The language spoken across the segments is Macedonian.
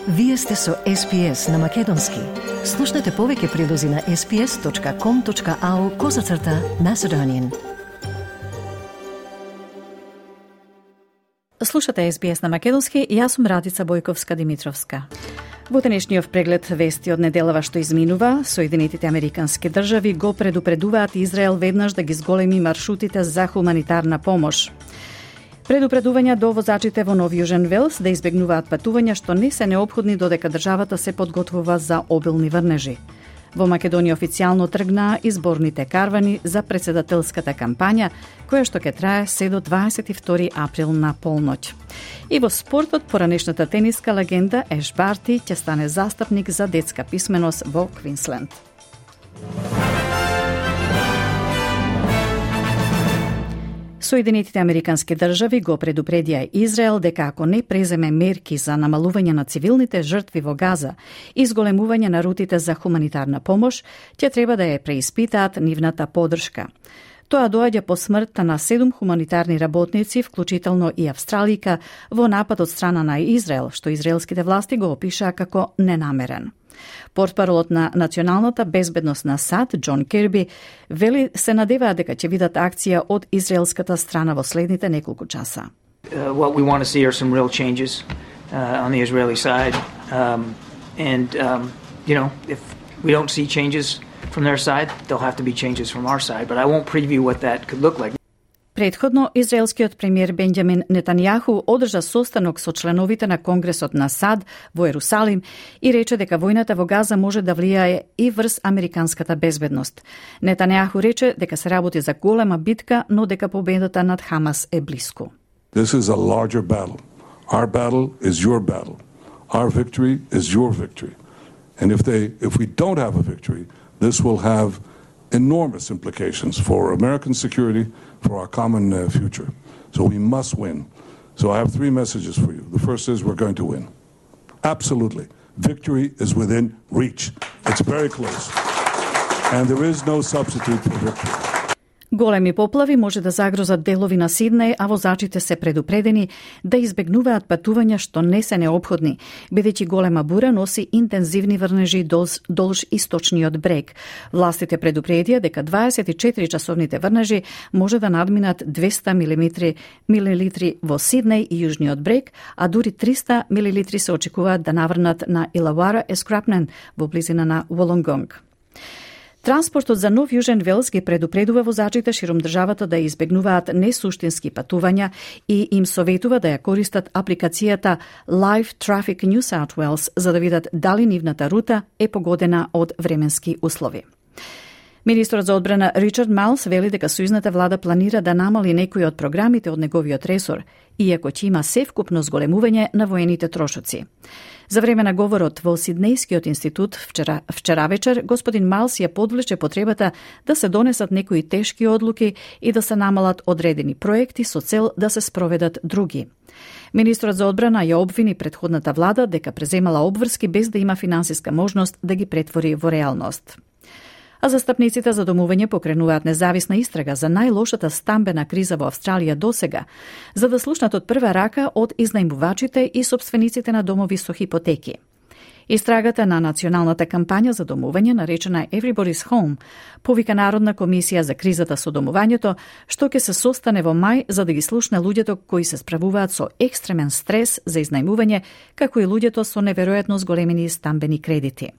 Вие сте со SPS на Македонски. Слушнете повеќе прилози на sps.com.au/Macedonian. Слушате SBS на Македонски, јас сум Радица Бојковска-Димитровска. Во денешниот преглед вести од неделава што изминува, Соединетите Американски држави го предупредуваат Израел веднаш да ги зголеми маршрутите за хуманитарна помош. Предупредувања до возачите во Нов Јужен Велс да избегнуваат патувања што не се неопходни додека државата се подготвува за обилни врнежи. Во Македонија официјално тргнаа изборните карвани за председателската кампања, која што ќе трае се до 22 април на полноќ. И во спортот, поранешната тениска легенда Еш Барти ќе стане застапник за детска писменост во Квинсленд. Соединетите Американски држави го предупредија Израел дека ако не преземе мерки за намалување на цивилните жртви во Газа и зголемување на рутите за хуманитарна помош, ќе треба да ја преиспитаат нивната поддршка. Тоа доаѓа по смртта на 7 хуманитарни работници, вклучително и австралика, во напад од страна на Израел, што израелските власти го опишаа како ненамерен. Портпаролот на Националната безбедност на САД, Џон Кирби, вели се надеваат дека ќе видат акција од израелската страна во следните неколку часа. What we want to see are some real changes on the Israeli side. If we don't see changes from their side, there'll have to be changes from our side, but I won't preview what that could look like. Претходно, израелскиот премиер Бенџамин Нетањаху одржа состанок со членовите на Конгресот на САД во Ерусалим и рече дека војната во Газа може да влијае и врз американската безбедност. Нетањаху рече дека се работи за голема битка, но дека победата над Хамас е блиску. This is a larger battle. Our battle is your battle. Our victory is your victory. And if we don't have a victory, this will have enormous implications for American security, for our common future. So we must win. So I have 3 messages for you. The first is we're going to win. Absolutely. Victory is within reach. It's very close. And there is no substitute for victory. Големи поплави може да загрозат делови на Сиднеј, а возачите се предупредени да избегнуваат патувања што не се неопходни, бидејќи голема бура носи интензивни врнежи долж источниот брег. Властите предупредија дека 24-часовните врнежи може да надминат 200 милилитри во Сиднеј и јужниот брег, а дури 300 милилитри се очекуваат да наврнат на Илавара Ескрапнен во близина на Волонгонг. Транспортот за Нов Јужен Велс ги предупредува возачите широм државата да избегнуваат несуштински патувања и им советува да ја користат апликацијата Live Traffic New South Wales за да видат дали нивната рута е погодена од временски услови. Министерот за одбрана Ричард Малс вели дека сојузната влада планира да намали некои од програмите од неговиот ресор, иако ќе има севкупно зголемување на воените трошоци. За време на говорот во Сиднејскиот институт вчера вечер, господин Малс ја подвлече потребата да се донесат некои тешки одлуки и да се намалат одредени проекти со цел да се спроведат други. Министерот за одбрана ја обвини претходната влада дека преземала обврски без да има финансиска можност да ги претвори во реалност. А застапниците за домување покренуваат независна истрага за најлошата стамбена криза во Австралија досега, за да слушнат од прва рака од изнајмувачите и сопствениците на домови со хипотеки. Истрагата на националната кампања за домување, наречена Everybody's Home, повика Народна комисија за кризата со домувањето, што ќе се состане во мај за да ги слушне луѓето кои се справуваат со екстремен стрес за изнајмување, како и луѓето со неверојатно зголемени стамбени кредити.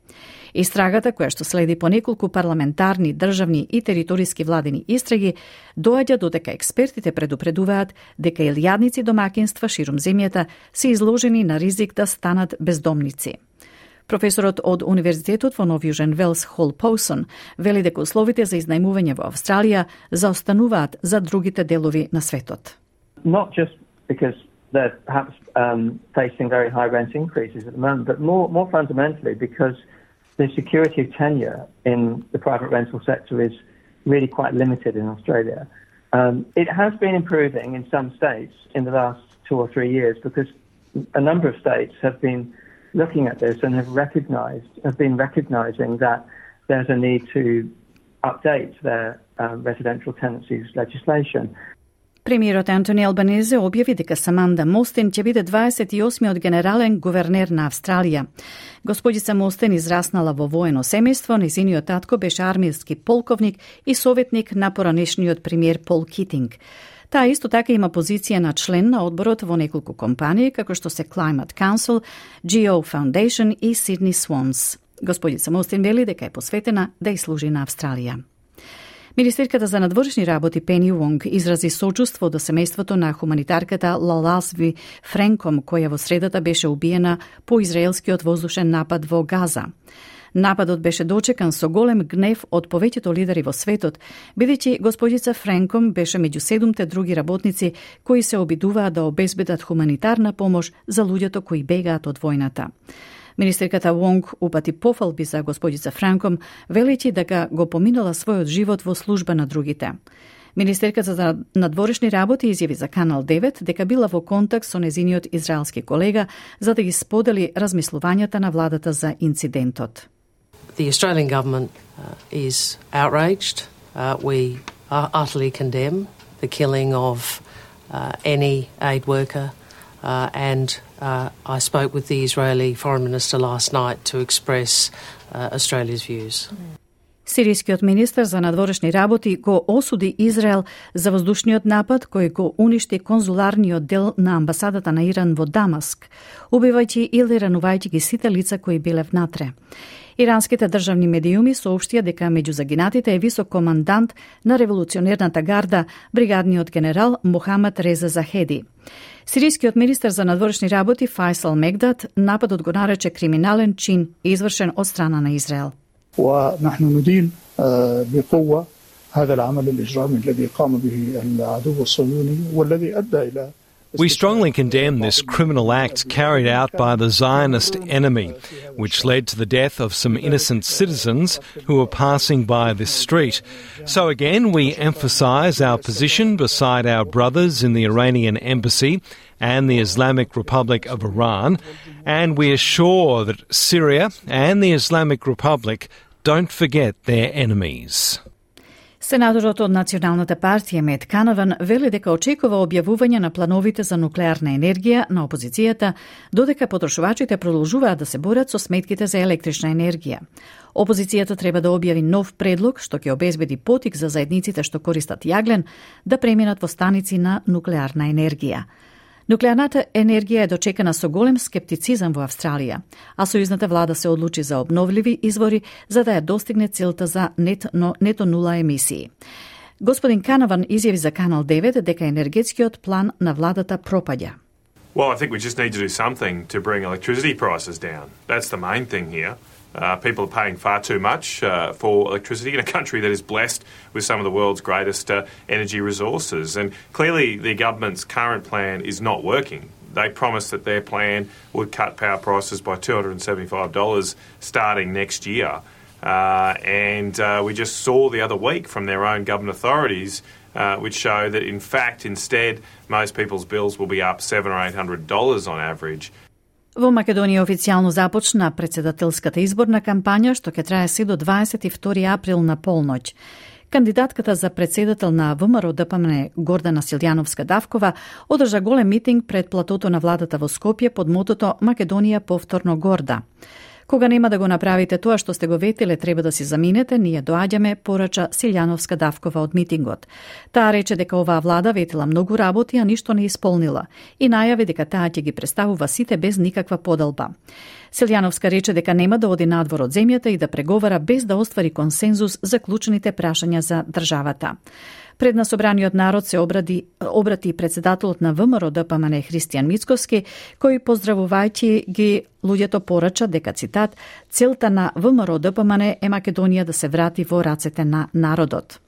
Истрагата, која што следи по неколку парламентарни, државни и териториски владени истраги, доаѓа додека експертите предупредуваат дека илјадници домакинства широм земјата се изложени на ризик да станат бездомници. Професорот од Универзитетот во Нов Јужен Велс Хол Поусон вели дека условите за изнајмување во Австралија заостануваат за другите делови на светот. Not just because they're perhaps facing very high rent increases at the moment, but more fundamentally because the security of tenure in the private rental sector is really quite limited in Australia. It has been improving in some states in the last 2 or 3 years because a number of states have been looking at this and have been recognizing that there's a need to update their residential tenancies legislation. Премиерот Антони Албанезе објави дека Саманда Мостен ќе биде 28-миот генерален гувернер на Австралија. Господица Мостен израснала во воено семејство, нејзиниот татко беше армиски полковник и советник на поранешниот премиер Пол Китинг. Таа исто така има позиција на член на одборот во неколку компании, како што се Climate Council, Geo Foundation и Sydney Swans. Господица Мостен вели дека е посветена да и служи на Австралија. Министерката за надворешни работи Пени Вонг изрази сочувство до семејството на хуманитарката Лаласви Френком, која во средата беше убиена по израелскиот воздушен напад во Газа. Нападот беше дочекан со голем гнев од повеќето лидери во светот, бидејќи господица Френком беше меѓу 7 други работници кои се обидуваа да обезбедат хуманитарна помош за луѓето кои бегаат од војната. Министерката Вонг упати пофалби за господица Франком, велејќи дека го поминала својот живот во служба на другите. Министерката за надворешни работи изјави за Канал 9 дека била во контакт со незиниот израелски колега за да ги сподели размислувањата на владата за инцидентот. The Australian government is outraged. We utterly condemn the killing of any aid worker and I spoke with the Israeli Foreign Minister last night to express Australia's views. Сирискиот министер за надворешни работи го осуди Израел за воздушниот напад кој го уништи конзуларниот дел на амбасадата на Иран во Дамаск, убивајќи или ранувајќи ги сите лица кои биле внатре. Иранските државни медиуми соопштија дека меѓу загинатите е висок командант на револуционерната гарда, бригадниот генерал Мохамед Реза Захеди. Сирискиот министер за надворешни работи Файсал Мегдат нападот го нарече криминален чин извршен од страна на Израел. ونحن ندين بقوة هذا العمل الإجرامي الذي قام به العدو الصهيوني والذي أدى إلى We strongly condemn this criminal act carried out by the Zionist enemy, which led to the death of some innocent citizens who were passing by this street. So again, we emphasise our position beside our brothers in the Iranian embassy and the Islamic Republic of Iran, and we assure that Syria and the Islamic Republic don't forget their enemies. Сенаторот од Националната партија Мет Канаван вели дека очекува објавување на плановите за нуклеарна енергија на опозицијата, додека потрошувачите продолжуваат да се борат со сметките за електрична енергија. Опозицијата треба да објави нов предлог што ќе обезбеди потик за заедниците што користат јаглен да преминат во станици на нуклеарна енергија. Нуклеарната енергија е дочекана со голем скептицизам во Австралија, а сојузната влада се одлучи за обновливи извори за да ја достигне целта за нето нула емисии. Господин Канаван изјави за Канал 9 дека енергетскиот план на владата пропаѓа. Well, I think we just need to do something to bring electricity prices down. That's the main thing here. People are paying far too much for electricity in a country that is blessed with some of the world's greatest energy resources. And clearly the government's current plan is not working. They promised that their plan would cut power prices by $275 starting next year. And we just saw the other week from their own government authorities which show that in fact instead most people's bills will be up $700 or $800 on average. Во Македонија официјално започна председателската изборна кампања што ќе трае се до 22 април на полноќ. Кандидатката за председател на ВМРО ДПМН Гордана Силјановска-Давкова одржа голем митинг пред платото на владата во Скопје под мотото Македонија повторно горда. Кога нема да го направите тоа што сте го ветиле, треба да си заминете, ние доаѓаме, порача Силјановска-Давкова од митингот. Таа рече дека оваа влада ветила многу работи, а ништо не исполнила и најави дека таа ќе ги представува сите без никаква подалба. Силјановска рече дека нема да оди надвор од земјата и да преговара без да оствари консензус за клучните прашања за државата. Пред на собраниот народ се обрати председателот на ВМРО ДПМН Христијан Мицковски, кој поздравувајќи ги луѓето порача дека, цитат, целта на ВМРО ДПМН е Македонија да се врати во рацете на народот.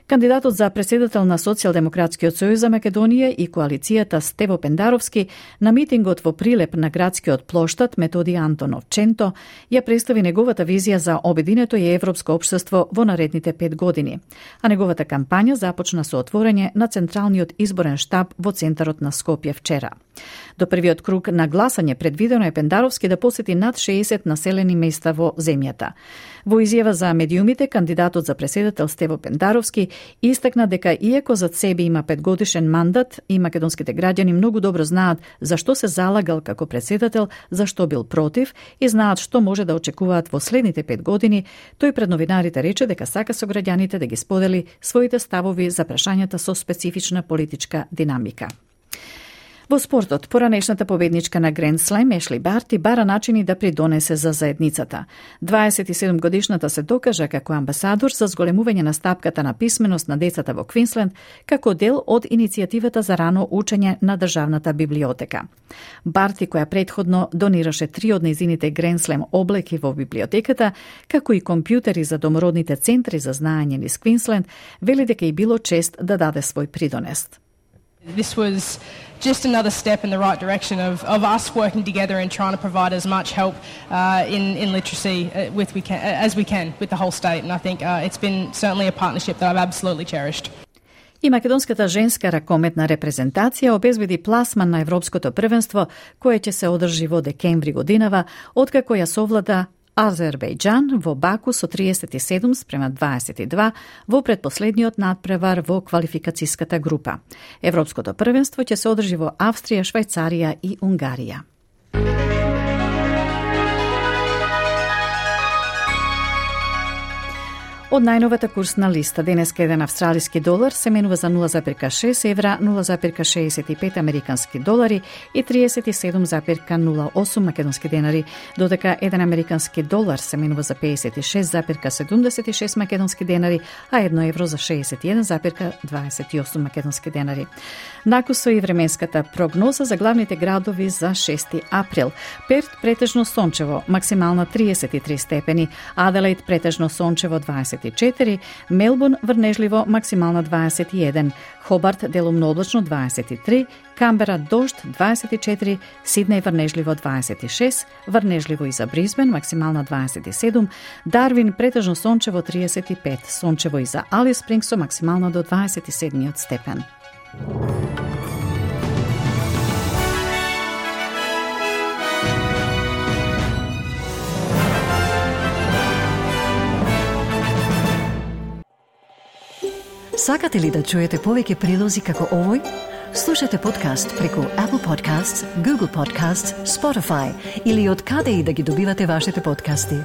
Кандидатот за председател на Социјалдемократскиот сојуз за Македонија и коалицијата Стево Пендаровски на митингот во Прилеп на градскиот плоштад Методи Антонов Ченто ја представи неговата визија за обединето и европско општество во наредните 5 години, а неговата кампања започна со отворање на Централниот изборен штаб во центарот на Скопје вчера. До првиот круг на гласање предвидено е Пендаровски да посети над 60 населени места во земјата. Во изјава за медиумите, кандидатот за председател Стево Пендаровски Истакна дека иако зад себе има 5-годишен мандат и македонските граѓани многу добро знаат зашто се залагал како председател, зашто бил против и знаат што може да очекуваат во следните 5 години, тој пред новинарите рече дека сака со граѓаните да ги сподели своите ставови за прашањата со специфична политичка динамика. Во спортот, поранешната победничка на Гранд Слем Ешли Барти бара начини да придонесе за заедницата. 27-годишната се докажа како амбасадор за зголемување на стапката на писменост на децата во Квинсленд, како дел од иницијативата за рано учење на Државната библиотека. Барти, која претходно донираше 3 од нејзините Гранд Слем облеки во библиотеката, како и компјутери за домородните центри за знаење низ Квинсленд, вели дека и било чест да даде свој придонес. This was just another step in the right direction of us working together and trying to provide as much help in literacy as we can with the whole state. And I think it's been certainly a partnership that I've absolutely cherished. И македонската женска ракометна репрезентација обезбеди пласман на Европското првенство, кое ќе се одржи во декември годинава, откако ја совлада Азербејџан во Баку со 37-22 во предпоследниот надпревар во квалификацијската група. Европското првенство ќе се одржи во Австрија, Швајцарија и Унгарија. Од најновата курсна листа, денеска еден австралиски долар се менува за 0,6 евра, 0,65 американски долари и 37,08 македонски денари, додека еден американски долар се менува за 56,76 македонски денари, а 1 евро за 61,28 македонски денари. Накусо и временската прогноза за главните градови за 6 април. Перт претежно сончево, максимална 33 степени, Аделаид претежно сончево 24, Мелбурн врнежливо максимална 21, Хобарт делумно облачно 23, Камбера дожд 24, Сиднеј врнежливо 26, врнежливо и за Брисбен максимална 27, Дарвин претежно сончево 35, сончево и за Алис Спрингс со максимално до 27 степен. Сакате ли да чуете повеќе прилози како овој? Слушате подкаст преку Apple Podcasts, Google Podcasts, Spotify или од каде и да ги добивате вашите подкасти.